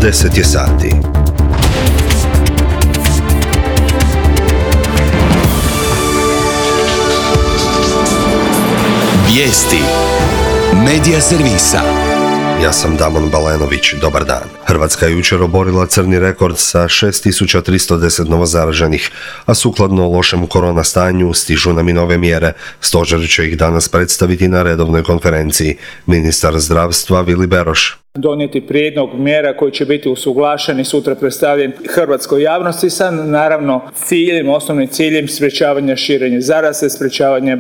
10 je sati. Vijesti Medija servisa. Ja sam Damon Balenović, dobar dan. Hrvatska je jučer oborila crni rekord sa 6310 novozaraženih, a sukladno lošem korona stanju stižu nam i nove mjere. Stožer će ih danas predstaviti na redovnoj konferenciji. Ministar zdravstva Vili Beroš. Donijeti prijedlog mjera koji će biti usuglašen i sutra predstavljen hrvatskoj javnosti sa naravno osnovnim ciljem sprječavanja širenja zaraze, sprječavanja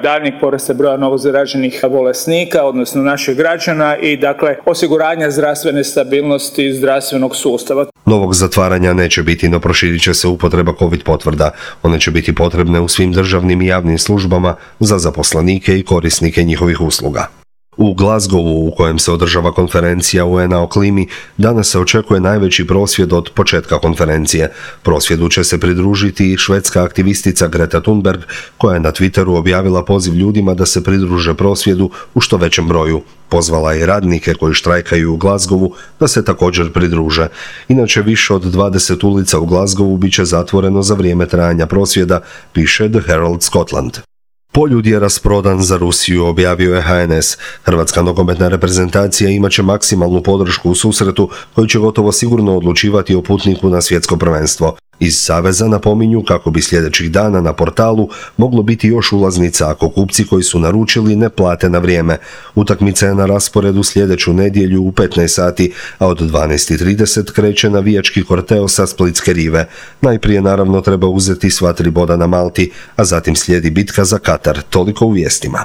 daljnjeg porasta broja novozaraženih bolesnika, odnosno naših građana i osiguranja zdravstvene stabilnosti zdravstvenog sustava. Novog zatvaranja neće biti, no proširit će se upotreba COVID potvrda. One će biti potrebne u svim državnim i javnim službama za zaposlenike i korisnike njihovih usluga. U Glasgowu, u kojem se održava konferencija UN-a o klimi, danas se očekuje najveći prosvjed od početka konferencije. Prosvjedu će se pridružiti i švedska aktivistica Greta Thunberg, koja je na Twitteru objavila poziv ljudima da se pridruže prosvjedu u što većem broju. Pozvala je radnike koji štrajkaju u Glasgowu da se također pridruže. Inače, više od 20 ulica u Glasgowu bit će zatvoreno za vrijeme trajanja prosvjeda, piše The Herald Scotland. Poljud je rasprodan za Rusiju, objavio je HNS. Hrvatska nogometna reprezentacija imat će maksimalnu podršku u susretu koji će gotovo sigurno odlučivati o putniku na svjetsko prvenstvo. Iz Saveza napominju kako bi sljedećih dana na portalu moglo biti još ulaznica ako kupci koji su naručili ne plate na vrijeme. Utakmica je na rasporedu sljedeću nedjelju u 15 sati, a od 12:30 kreće navijački korteo sa Splitske rive. Najprije naravno treba uzeti sva 3 boda na Malti, a zatim slijedi bitka za Katar. Toliko u vijestima.